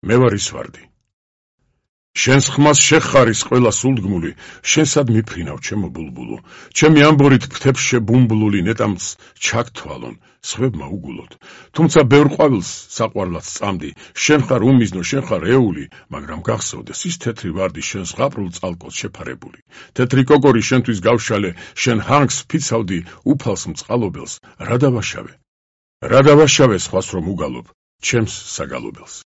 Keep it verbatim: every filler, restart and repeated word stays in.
მე ვარ ის ვარდი. შენს ხმას შეხარის ყველა სულდგმული, შენსად მიფრინავ ჩემო ბულბულო, ჩემი ამბორით ფრთებს შებუმბლული ნეტამს ჩაგთვალონ, სხვებმა უგულოდ. თუმცა ბევრ ყვავილს საყვარლად წამდი, შენ ხარ უმიზნო, შენ ხარ ეული, მაგრამ გახსოვდეს ის თეთრი ვარდი შენ ზღაპრულ წალკოს შეფარებული. თეთრი კოკორი შენთვის გავშალე, შენ ჰანგს ფიცავდი უფალს მწყალობელს, რა დავაშავე? რა დავაშავე სხვას რომ უგალობ, ჩემს საგალობელს.